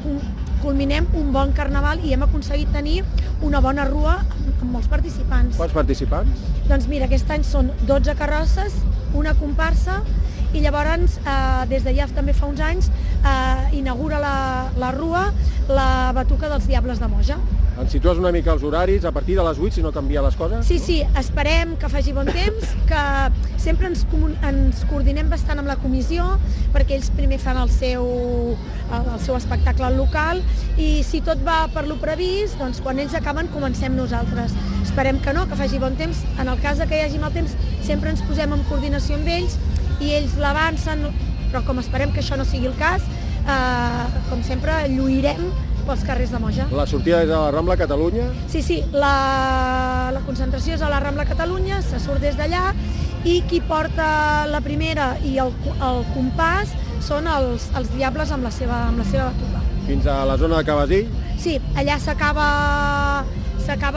Speaker 10: culminem un bon carnaval i hem aconseguit tenir una bona rua amb molts participants.
Speaker 9: Quants participants?
Speaker 10: Doncs mira, aquest any són 12 carrosses, una comparsa, i llavors, des de ja també fa uns anys, inaugura la rua la Batuca dels Diables de Moja.
Speaker 9: Ens situes una mica els horaris, a partir de les 8, si no canvia les coses?
Speaker 10: Sí, esperem que faci bon temps, que sempre ens coordinem bastant amb la comissió, perquè ells primer fan el seu espectacle local, i si tot va per lo previst, doncs quan ells acaben comencem nosaltres. Esperem que no, que faci bon temps. En el cas que hi hagi mal temps, sempre ens posem en coordinació amb ells, i ells l'avancen, però com esperem que això no sigui el cas, com sempre lluirem pels carrers de Moja.
Speaker 9: La sortida és a la Rambla Catalunya?
Speaker 10: Sí, la concentració és a la Rambla Catalunya, se surt des d'allà, i qui porta la primera i el compàs són els Diables amb la seva batuca.
Speaker 9: Fins a la zona de Cabasí?
Speaker 10: Sí, allà s'acaba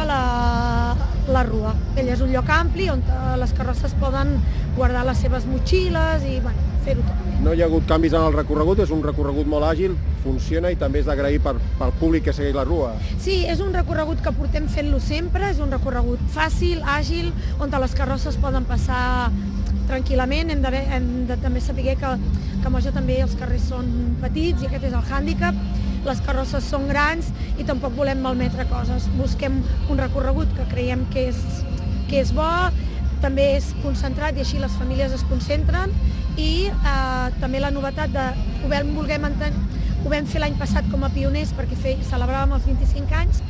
Speaker 10: la rua. Allà és un lloc ampli on les carrosses poden guardar les seves motxilles i fer-ho tot.
Speaker 9: No hi ha hagut canvis en el recorregut, és un recorregut molt àgil, funciona i també és d'agrair pel públic que segueix la rua.
Speaker 10: Sí, és un recorregut que portem fent-lo sempre, és un recorregut fàcil, àgil, on les carrosses poden passar tranquil·lament. Hem de també saber que a Moja també els carrers són petits i aquest és el hàndicap. Les carrosses són grans i tampoc volem malmetre coses. Busquem un recorregut que creiem que és bo, també és concentrat i així les famílies es concentren, i també la novetat ho vam fer l'any passat com a pioners perquè celebràvem els 25 anys.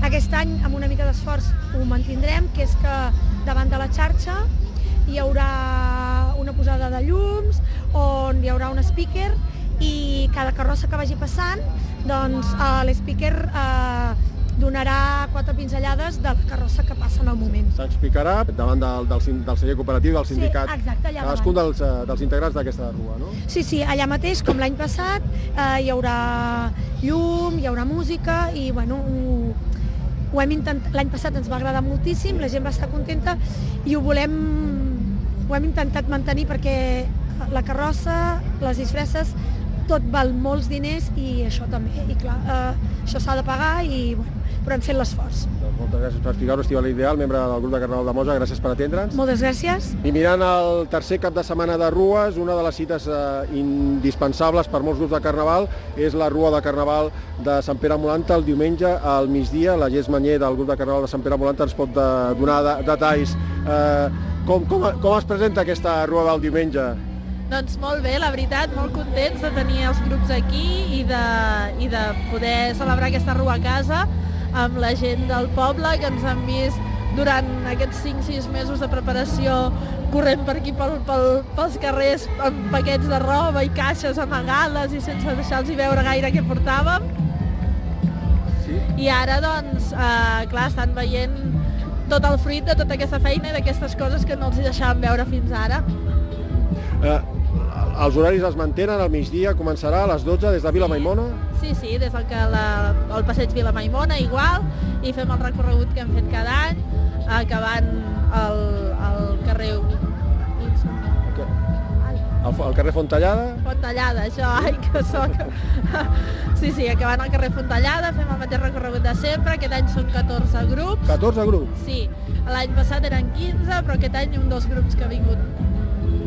Speaker 10: Aquest any, amb una mica d'esforç, ho mantindrem, que és que davant de la xarxa hi haurà una posada de llums, on hi haurà un speaker, i cada carrossa que vagi passant, doncs l'speaker donarà 4 pinzellades de la carrossa que passa en el moment.
Speaker 9: S'explicarà davant del celler cooperatiu, del sindicat,
Speaker 10: sí, exacte,
Speaker 9: cadascun dels integrants d'aquesta rua, no?
Speaker 10: Sí, allà mateix, com l'any passat, hi haurà llum, hi haurà música, i ho hem intentat. L'any passat ens va agradar moltíssim, la gent va estar contenta i ho hem intentat mantenir perquè la carrossa, les disfresses, tot val molts diners i això també, i clar, això s'ha de pagar, però hem fet l'esforç.
Speaker 9: Doncs moltes gràcies per explicar-ho, Estivali Ideal, membre del grup de Carnaval de Moja, gràcies per atendre'ns.
Speaker 10: Moltes gràcies.
Speaker 9: I mirant el tercer cap de setmana de rues, una de les cites indispensables per molts grups de Carnaval és la Rua de Carnaval de Sant Pere Molanta el diumenge al migdia. La Gés Manyer del grup de Carnaval de Sant Pere Molanta ens pot donar detalls. Com es presenta aquesta Rua del diumenge?
Speaker 11: Doncs molt bé, la veritat, molt contents de tenir els grups aquí i de poder celebrar aquesta rua a casa amb la gent del poble que ens han vist durant aquests 5-6 mesos de preparació corrent per aquí pels carrers amb paquets de roba i caixes amagades i sense deixar-los veure gaire què portàvem. Sí. I ara, doncs, clar, estan veient tot el fruit de tota aquesta feina i d'aquestes coses que no els deixàvem veure fins ara.
Speaker 9: Els horaris es mantenen, al migdia començarà a les 12 des de Vila Maimona?
Speaker 11: Sí, des del passeig Vila Maimona igual, i fem el recorregut que hem fet cada any, acabant al carrer...
Speaker 9: El carrer Fontellada?
Speaker 11: Fontellada, això, ai, que soc... Sí, acabant al carrer Fontellada, fem el mateix recorregut de sempre, aquest any són 14 grups.
Speaker 9: 14 grups?
Speaker 11: Sí, l'any passat eren 15, però aquest any un dels grups que ha vingut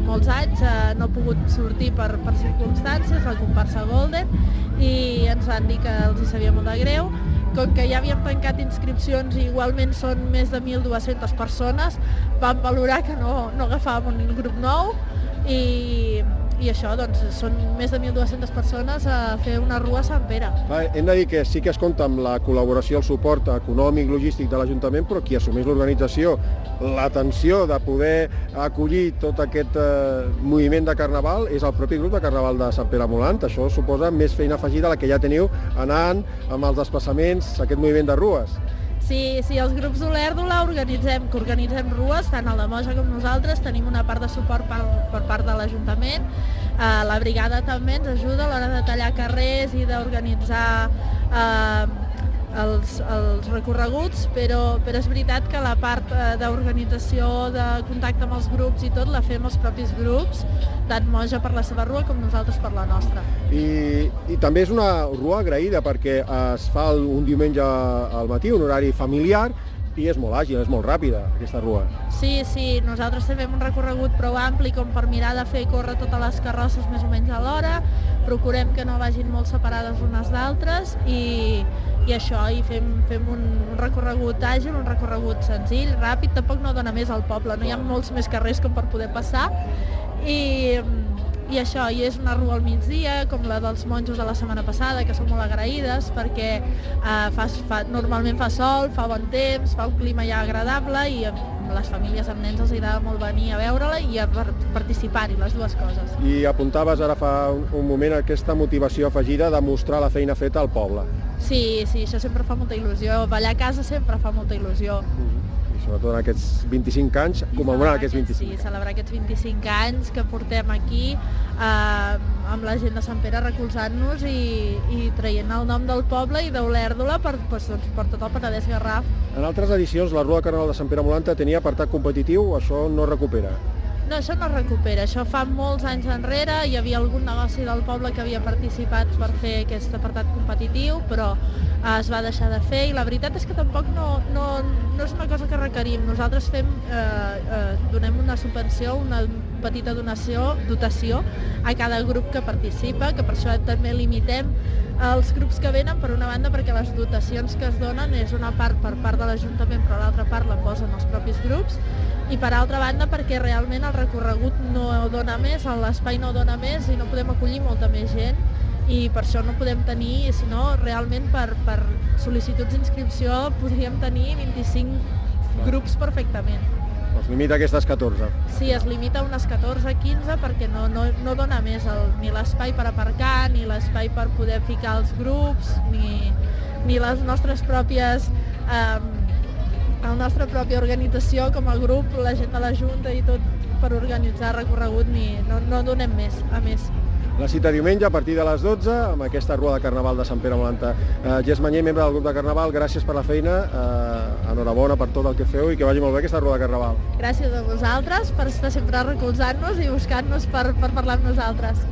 Speaker 11: molts anys no ha pogut sortir per circumstàncies, la comparsa Golden, i ens van dir que els hi sabia molt de greu, com que ja havíem tancat inscripcions i igualment són més de 1.200 persones, vam valorar que no agafàvem un grup nou i això, doncs, són més de 1.200 persones a fer una rua a Sant Pere.
Speaker 9: Hem de dir que sí que es compta amb la col·laboració, el suport econòmic, logístic de l'Ajuntament, però qui assumeix l'organització, l'atenció de poder acollir tot aquest moviment de Carnaval és el propi grup de Carnaval de Sant Pere Molant. Això suposa més feina afegida a la que ja teniu anant amb els desplaçaments, aquest moviment de rues.
Speaker 11: Sí, els grups d'Olèrdola organitzem rues, tant a la Moja com nosaltres, tenim una part de suport per part de l'Ajuntament. La brigada també ens ajuda a l'hora de tallar carrers i d'organitzar els recorreguts, però és veritat que la part d'organització, de contacte amb els grups i tot, la fem els propis grups, tant Moja per la seva rua com nosaltres per la nostra.
Speaker 9: I també és una rua agraïda perquè es fa un diumenge al matí, un horari familiar, i és molt àgil, és molt ràpida, aquesta rua.
Speaker 11: Sí, nosaltres també fem un recorregut prou ampli com per mirar de fer córrer totes les carrosses més o menys a l'hora, procurem que no vagin molt separades unes d'altres i això, i fem un recorregut àgil, un recorregut senzill, ràpid, tampoc no dona més al poble, no hi ha molts més carrers com per poder passar i això, i és una rua al migdia, com la dels monjos de la setmana passada, que són molt agraïdes perquè normalment fa sol, fa bon temps, fa un clima ja agradable i les famílies amb nens els agrada molt venir a veure-la i a participar-hi, les dues coses.
Speaker 9: I apuntaves ara fa un moment aquesta motivació afegida de mostrar la feina feta al poble.
Speaker 11: Sí, això sempre fa molta il·lusió, ballar a casa sempre fa molta il·lusió.
Speaker 9: Sobretot en aquests 25 anys, commemorar aquests 25 anys.
Speaker 11: Sí, celebrar aquests 25 anys que portem aquí amb la gent de Sant Pere recolzant-nos i traient el nom del poble i d'Olèrdola per tot el Penedès Garraf.
Speaker 9: En altres edicions, la Rua de Carnaval de Sant Pere Molanta tenia apartat competitiu, això no recupera?
Speaker 11: No, això no recupera, això fa molts anys enrere, hi havia algun negoci del poble que havia participat per fer aquest apartat competitiu, però es va deixar de fer i la veritat és que tampoc no és una cosa que requerim. Nosaltres donem una subvenció, una petita dotació a cada grup que participa, que per això també limitem els grups que venen, per una banda perquè les dotacions que es donen és una part per part de l'Ajuntament, però l'altra part la posen els propis grups, i per altra banda perquè realment el recorregut no dona més, l'espai no dona més i no podem acollir molta més gent i per això no podem tenir, sinó realment per sol·licituds d'inscripció podríem tenir 25 grups perfectament.
Speaker 9: Es limita a aquestes 14.
Speaker 11: Sí, es limita a unes 14-15 perquè no dona més ni l'espai per aparcar, ni l'espai per poder ficar els grups, ni les nostres pròpies... la nostra pròpia organització com a grup, la gent de la Junta i tot per organitzar recorregut, no donem més, a més.
Speaker 9: La cita diumenge a partir de les 12 amb aquesta Rua de Carnaval de Sant Pere Molanta. Gés Manyer, membre del grup de Carnaval, gràcies per la feina, enhorabona per tot el que feu i que vagi molt bé aquesta Rua de Carnaval.
Speaker 11: Gràcies a vosaltres per estar sempre recolzant-nos i buscant-nos per parlar amb nosaltres.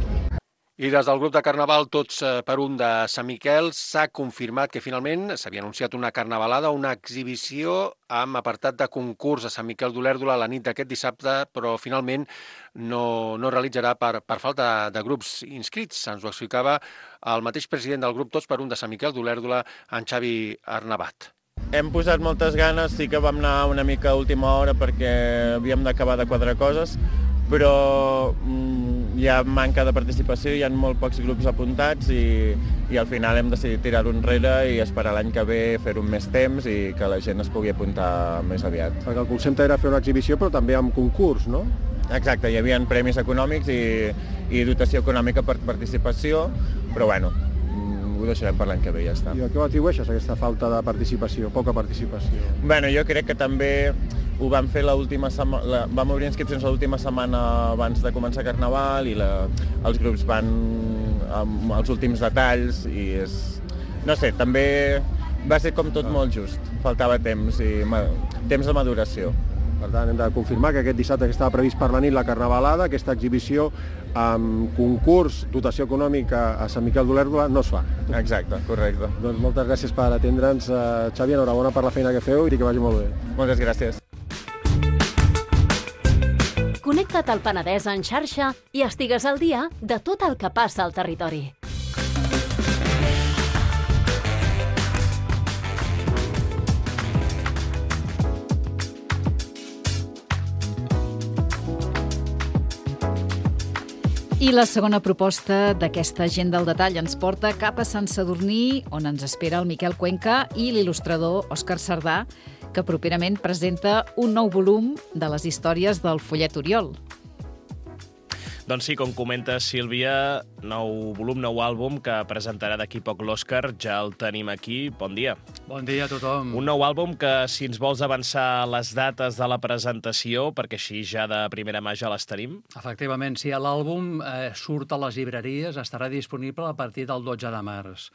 Speaker 12: I des del grup de Carnaval Tots per un de Sant Miquel s'ha confirmat que finalment s'havia anunciat una carnavalada, una exhibició amb apartat de concurs a Sant Miquel d'Olèrdola la nit d'aquest dissabte, però finalment no realitzarà per falta de grups inscrits. Ens ho explicava el mateix president del grup Tots per un de Sant Miquel d'Olèrdola, en Xavi Arnabat.
Speaker 13: Hem posat moltes ganes, sí que vam anar una mica a última hora perquè havíem d'acabar de quadrar coses, però hi ha manca de participació, hi ha molt pocs grups apuntats i al final hem decidit tirar-ho enrere i esperar l'any que ve, fer-ho amb més temps i que la gent es pugui apuntar més aviat.
Speaker 9: Perquè el concepte era fer una exhibició però també amb concurs, no?
Speaker 13: Exacte, hi havia premis econòmics i dotació econòmica per participació, però bueno, ho deixarem per l'any que ve, ja està.
Speaker 9: I a què ho atribueixes, aquesta falta de participació, poca participació?
Speaker 13: Bueno, jo crec que també ho vam fer l'última setmana, vam obrir inscripcions l'última setmana abans de començar Carnaval i els grups van amb els últims detalls i no sé, també va ser com tot molt just, faltava temps de maduració.
Speaker 9: Per tant, hem de confirmar que aquest dissabte que estava previst per la nit la Carnavalada, aquesta exhibició amb concurs, dotació econòmica a Sant Miquel d'Olèrdola, no es fa.
Speaker 13: Exacte, correcte.
Speaker 9: Doncs moltes gràcies per atendre'ns, Xavi, enhorabona per la feina que feu i que vagi molt bé.
Speaker 13: Moltes gràcies.
Speaker 14: Connecta't al Penedès en xarxa i estigues al dia de tot el que passa al territori.
Speaker 3: I la segona proposta d'aquesta agenda al detall ens porta cap a Sant Sadurní, on ens espera el Miquel Cuenca i l'il·lustrador Òscar Sardà, que properament presenta un nou volum de les històries del Follet Oriol.
Speaker 15: Doncs sí, com comenta Sílvia, nou volum, nou àlbum que presentarà d'aquí poc l'Òscar. Ja el tenim aquí. Bon dia.
Speaker 16: Bon dia a tothom.
Speaker 15: Un nou àlbum que, si ens vols avançar les dates de la presentació, perquè així ja de primera mà ja les tenim.
Speaker 16: Efectivament, sí, l'àlbum surt a les llibreries, estarà disponible a partir del 12 de març.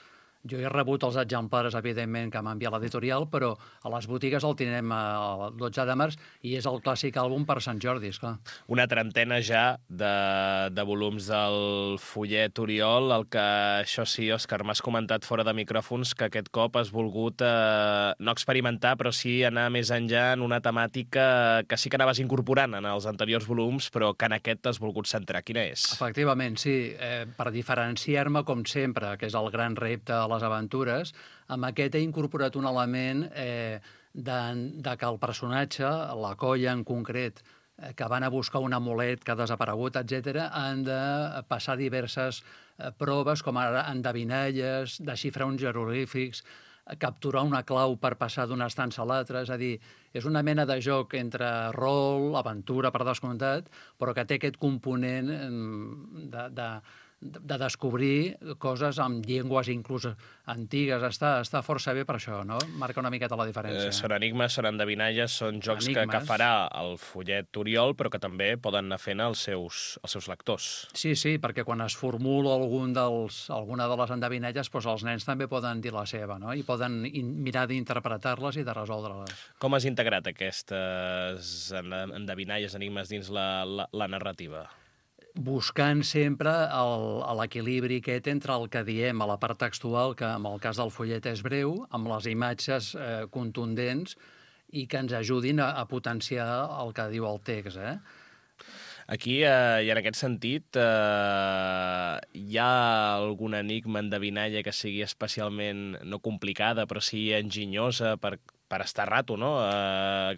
Speaker 16: Jo he rebut els exemplars, evidentment, que m'ha enviat l'editorial, però a les botigues el tindrem el 12 de març i és el clàssic àlbum per Sant Jordi, esclar.
Speaker 15: Una trentena ja de volums del Follet Oriol, el que, això sí, Òscar, m'has comentat fora de micròfons que aquest cop has volgut no experimentar, però sí anar més enllà en una temàtica que sí que anaves incorporant en els anteriors volums, però que en aquest t'has volgut centrar. Quina és?
Speaker 16: Efectivament, sí. Per diferenciar-me, com sempre, que és el gran repte a les aventures, amb aquest he incorporat un element de que el personatge, la colla en concret, que van a buscar un amulet que ha desaparegut, etc., han de passar diverses proves, com ara endevinalles, desxifrar uns jeroglífics, capturar una clau per passar d'una estança a l'altra, és a dir, és una mena de joc entre rol, aventura, per descomptat, però que té aquest component de descobrir coses amb llengües inclús antigues. Està força bé per això, no? Marca una miqueta la diferència.
Speaker 15: Són enigmes, són endevinalles, són jocs que farà el Follet Oriol, però que també poden anar fent els seus lectors.
Speaker 16: Sí, perquè quan es formula alguna de les endevinalles, doncs els nens també poden dir la seva, no? I poden mirar d'interpretar-les i de resoldre-les.
Speaker 15: Com has integrat aquestes endevinalles, enigmes dins la narrativa?
Speaker 16: Buscant sempre l'equilibri aquest entre el que diem a la part textual, que en el cas del follet és breu, amb les imatges contundents i que ens ajudin a potenciar el que diu el text.
Speaker 15: Aquí, i en aquest sentit, hi ha algun enigma, endevinalla que sigui especialment, no complicada, però sí enginyosa per estar rato, no?,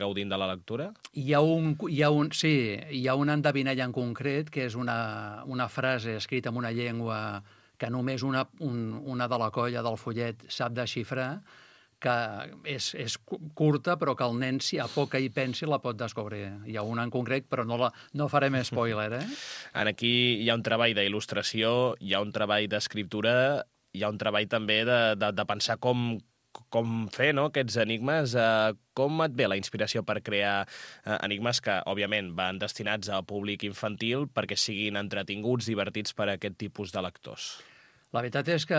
Speaker 15: gaudint de la lectura?
Speaker 16: Hi ha una endevinalla en concret, que és una frase escrita en una llengua que només una de la colla del follet sap desxifrar, que és curta, però que el nen, si a poc que hi pensi, la pot descobrir. Hi ha una en concret, però no farem spoiler,
Speaker 15: Aquí hi ha un treball d'il·lustració, hi ha un treball d'escriptura, hi ha un treball també de pensar com fer, no?, aquests enigmes. Com et ve la inspiració per crear enigmes que, òbviament, van destinats al públic infantil perquè siguin entretinguts, divertits per a aquest tipus de lectors?
Speaker 16: La veritat és que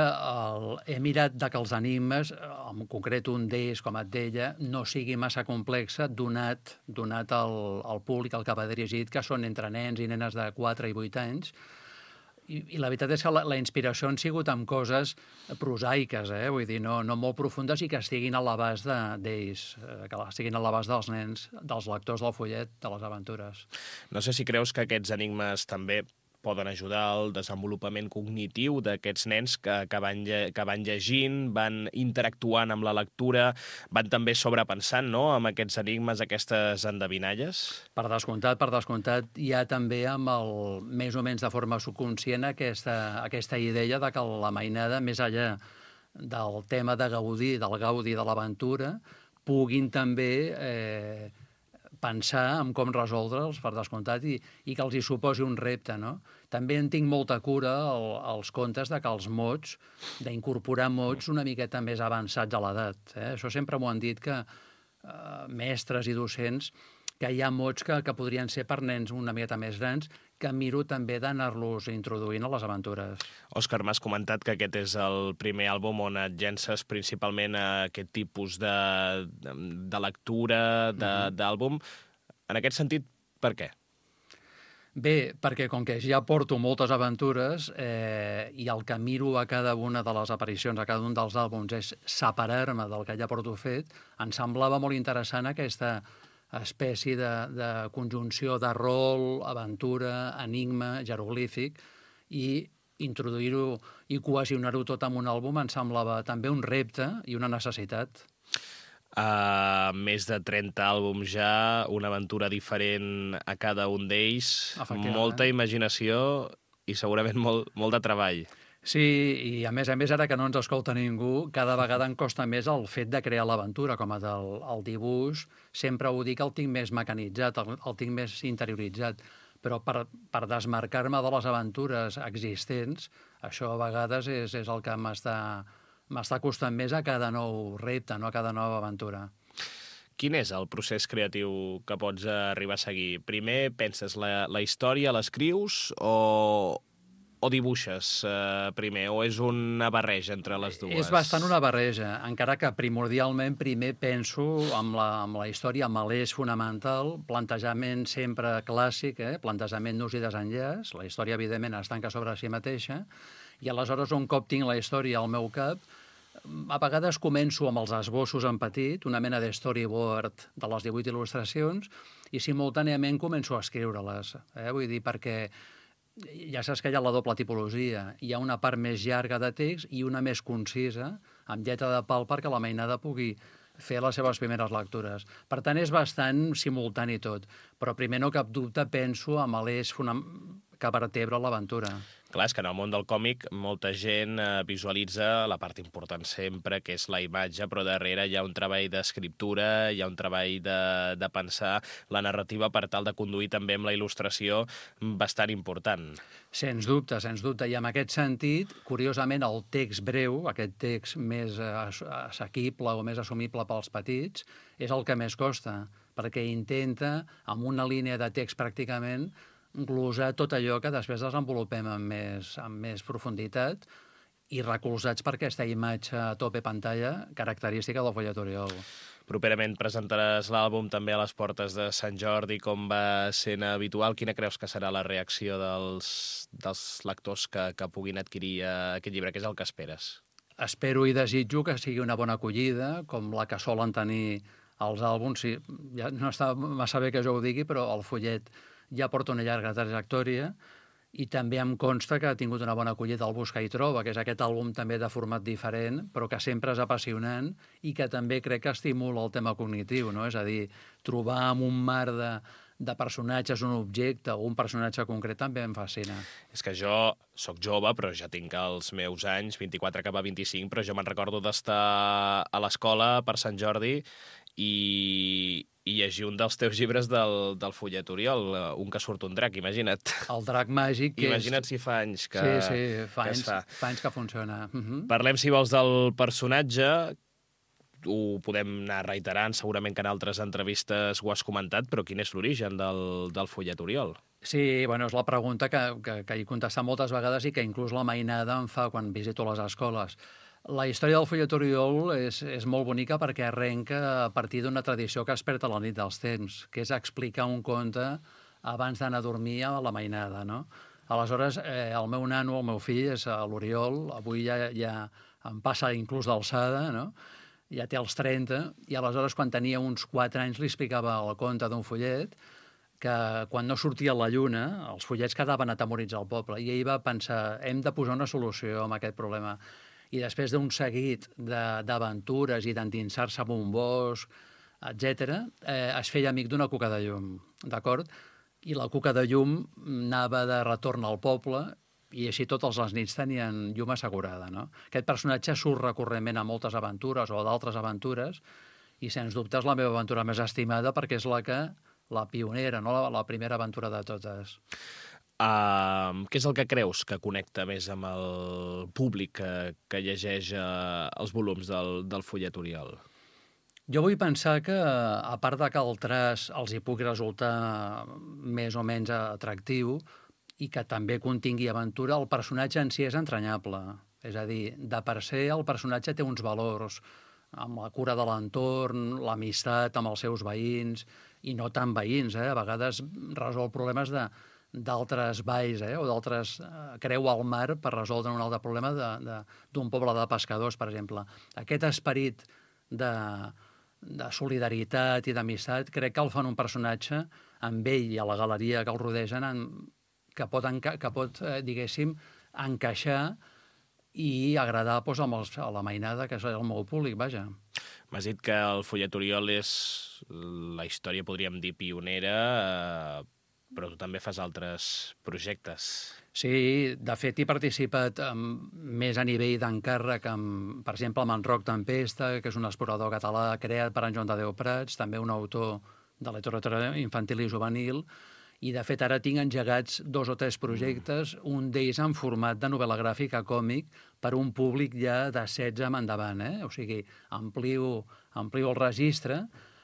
Speaker 16: he mirat que els enigmes, en concret un d'ells, com et deia, no sigui massa complexa, donat al públic al que va dirigit, que són entre nens i nenes de 4 i 8 anys, i la veritat és que la inspiració han sigut amb coses prosaiques, vull dir, no molt profundes i que estiguin a l'abast d'ells, que estiguin a l'abast dels nens, dels lectors del follet, de les aventures.
Speaker 15: No sé si creus que aquests enigmes també poden ajudar al desenvolupament cognitiu d'aquests nens que van llegint, van interactuant amb la lectura, van també sobrepensant, no?, amb aquests enigmes, aquestes endevinalles?
Speaker 16: Per descomptat, hi ha també, més o menys de forma subconscient, aquesta idea de que la mainada, més enllà del tema de gaudir, del gaudi de l'aventura, puguin també pensar en com resoldre'ls, per descomptat, i que els hi suposi un repte, no? També en tinc molta cura als contes que els mots, d'incorporar mots una miqueta més avançats a l'edat. Això sempre m'ho han dit que mestres i docents, que hi ha mots que podrien ser per nens una miqueta més grans, que miro també d'anar-los introduint a les aventures.
Speaker 15: Òscar, m'has comentat que aquest és el primer àlbum on et llences principalment a aquest tipus de lectura, d'àlbum. En aquest sentit, per què?
Speaker 16: Bé, perquè com que ja porto moltes aventures i el que miro a cada una de les aparicions, a cada un dels àlbums, és separar-me del que ja porto fet, em semblava molt interessant aquesta espècie de conjunció de rol, aventura, enigma, jeroglífic, i introduir-ho i cohesionar-ho tot en un àlbum em semblava també un repte i una necessitat.
Speaker 15: Més de 30 àlbums ja, una aventura diferent a cada un d'ells, molta imaginació i segurament molt de treball.
Speaker 16: Sí, i a més, ara que no ens escolta ningú, cada vegada em costa més el fet de crear l'aventura, com el dibuix, sempre ho dic, el tinc més mecanitzat, el tinc més interioritzat, però per desmarcar-me de les aventures existents, això a vegades és el que m'està costant més a cada nou repte, no a cada nova aventura.
Speaker 15: Quin és el procés creatiu que pots arribar a seguir? Primer penses la història, l'escrius o dibuixes primer, o és una barreja entre les dues?
Speaker 16: És bastant una barreja, encara que primordialment primer penso amb la història, amb l'eix fonamental, plantejament sempre clàssic, plantejament nus i desenllaç, la història evidentment es tanca sobre si mateixa, i aleshores un cop tinc la història al meu cap, a vegades començo amb els esbossos en petit, una mena de storyboard de les 18 il·lustracions, i simultàniament començo a escriure-les. Vull dir, perquè ja saps que hi ha la doble tipologia. Hi ha una part més llarga de text i una més concisa, amb lletra de pal, perquè la mainada pugui fer les seves primeres lectures. Per tant, és bastant simultani tot. Però primer, no cap dubte, penso amb l'eix que vertebra l'aventura.
Speaker 15: Clar, és que en el món del còmic molta gent visualitza la part important sempre, que és la imatge, però darrere hi ha un treball d'escriptura, hi ha un treball de pensar la narrativa per tal de conduir també amb la il·lustració bastant important.
Speaker 16: Sens dubte. I en aquest sentit, curiosament, el text breu, aquest text més assequible o més assumible pels petits, és el que més costa, perquè intenta, amb una línia de text pràcticament, glosar tot allò que després desenvolupem amb més profunditat i recolzats per aquesta imatge a tope pantalla característica del fullet Oriol.
Speaker 15: Properament presentaràs l'àlbum també a les portes de Sant Jordi, com va sent habitual. Quina creus que serà la reacció dels lectors que puguin adquirir aquest llibre? Què és el que esperes?
Speaker 16: Espero i desitjo que sigui una bona acollida, com la que solen tenir els àlbums. Sí, ja no està massa bé que jo ho digui, però el fullet ja porta una llarga trajectòria i també em consta que ha tingut una bona acollida al Buscar i Troba, que és aquest àlbum també de format diferent, però que sempre és apassionant i que també crec que estimula el tema cognitiu, no? És a dir, trobar en un mar de personatges un objecte o un personatge concret també em fascina.
Speaker 15: És que jo sóc jove, però ja tinc els meus anys, 24 cap a 25, però jo me'n recordo d'estar a l'escola per Sant Jordi i llegir un dels teus llibres del fullet Oriol, un que surt un drac, imagina't.
Speaker 16: El drac màgic.
Speaker 15: Imagina't si fa anys que
Speaker 16: fa anys que funciona.
Speaker 15: Parlem, si vols, del personatge. Ho podem anar reiterant, segurament que en altres entrevistes ho has comentat, però quin és l'origen del fullet Oriol?
Speaker 16: Sí, bueno, és la pregunta que he contestat moltes vegades i que inclús la mainada em fa quan visito les escoles. La història del fullet Oriol és molt bonica perquè arrenca a partir d'una tradició que es perd a la nit dels temps, que és explicar un conte abans d'anar a dormir a la mainada, no? Aleshores, el meu nano, el meu fill, és l'Oriol, avui ja em passa inclús d'alçada, no? Ja té els 30, i aleshores quan tenia uns 4 anys li explicava el conte d'un fullet que quan no sortia la lluna, els fullets quedaven atemorits al poble, i ell va pensar, hem de posar una solució a aquest problema. I després d'un seguit d'aventures i d'endinsar-se en un bosc, etc., es feia amic d'una cuca de llum, d'acord? I la cuca de llum anava de retorn al poble i així totes les nits tenien llum assegurada, no? Aquest personatge surt recurrentment a moltes aventures o a d'altres aventures i, sens dubte, és la meva aventura més estimada perquè és la pionera, no? La primera aventura de totes.
Speaker 15: Què és el que creus que connecta més amb el públic que llegeix els volums del fullet Oriol?
Speaker 16: Jo vull pensar que, a part de que el traç els hi pugui resultar més o menys atractiu i que també contingui aventura, el personatge en si és entranyable. És a dir, de per ser, el personatge té uns valors, amb la cura de l'entorn, l'amistat amb els seus veïns, i no tan veïns, a vegades resol problemes d'altres valls o d'altres creu al mar per resoldre un altre problema d'un poble de pescadors, per exemple. Aquest esperit de solidaritat i d'amistat crec que el fan un personatge amb ell i a la galeria que el rodegen que pot, diguéssim, encaixar i agradar a la mainada, que és el meu públic, vaja.
Speaker 15: M'has dit que el fullet Oriol és la història, podríem dir, pionera, però tu també fas altres projectes.
Speaker 16: Sí, de fet he participat més a nivell d'encàrrec, per exemple, amb en Roc Tempesta, que és un explorador català creat per en Joan Tadeu Prats, també un autor de literatura infantil i juvenil, i de fet ara tinc engegats 2 o 3 projectes, un d'ells en format de novel·la gràfica còmic per un públic ja de 16 en endavant, O sigui, amplio el registre,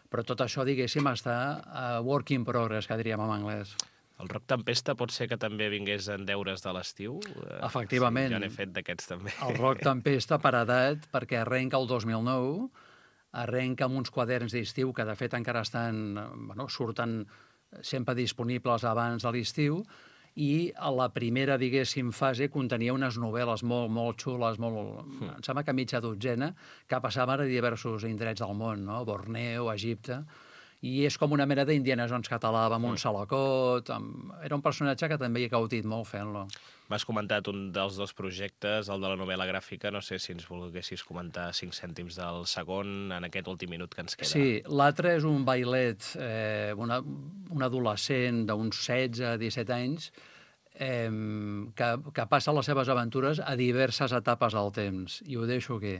Speaker 16: però tot això, diguéssim, està a work in progress, que diríem en anglès.
Speaker 15: El Roc Tempesta pot ser que també vingués en deures de l'estiu?
Speaker 16: Efectivament.
Speaker 15: Sí, jo n'he fet d'aquests també.
Speaker 16: El Roc Tempesta per edat, perquè arrenca el 2009, arrenca amb uns quaderns d'estiu que de fet encara surten sempre disponibles abans de l'estiu, i a la primera, diguéssim, fase contenia unes novel·les molt xules, em sembla que mitja dotzena, que passaven a diversos indrets del món, Borneo, Egipte, i és com una mena d'Indiana Jones català amb un salacot. Era un personatge que també he gaudit molt fent-lo.
Speaker 15: M'has comentat un dels 2 projectes, el de la novel·la gràfica. No sé si ens volguessis comentar 5 cèntims del segon en aquest últim minut que ens queda.
Speaker 16: Sí, l'altre és un bailet, un adolescent d'uns 16-17 anys, que passa les seves aventures a diverses etapes del temps. I ho deixo aquí.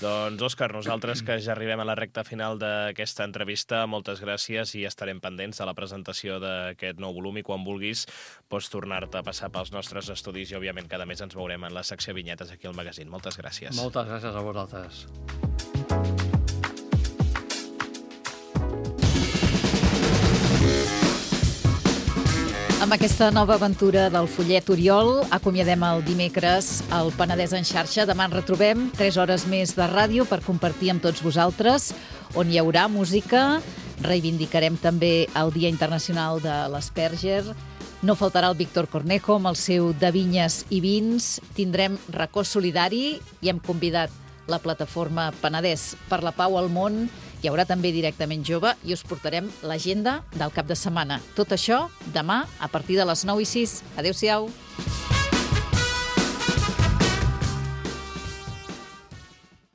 Speaker 15: Doncs, Òscar, nosaltres que ja arribem a la recta final d'aquesta entrevista, moltes gràcies i estarem pendents de la presentació d'aquest nou volum i quan vulguis pots tornar-te a passar pels nostres estudis i, òbviament, cada mes ens veurem en la secció Vinyetes aquí al magazín. Moltes gràcies.
Speaker 16: Moltes gràcies a vosaltres.
Speaker 3: Amb aquesta nova aventura del fullet Oriol, acomiadem el dimecres al Penedès en xarxa. Demà ens retrobem 3 hores més de ràdio per compartir amb tots vosaltres, on hi haurà música. Reivindicarem també el Dia Internacional de l'Asperger. No faltarà el Víctor Cornejo amb el seu De Vinyes i Vins. Tindrem racó solidari i hem convidat la plataforma Penedès per la Pau al Món. Hi haurà també Directament Jove i us portarem l'agenda del cap de setmana. Tot això demà a partir de les 9:06. Adéu-siau.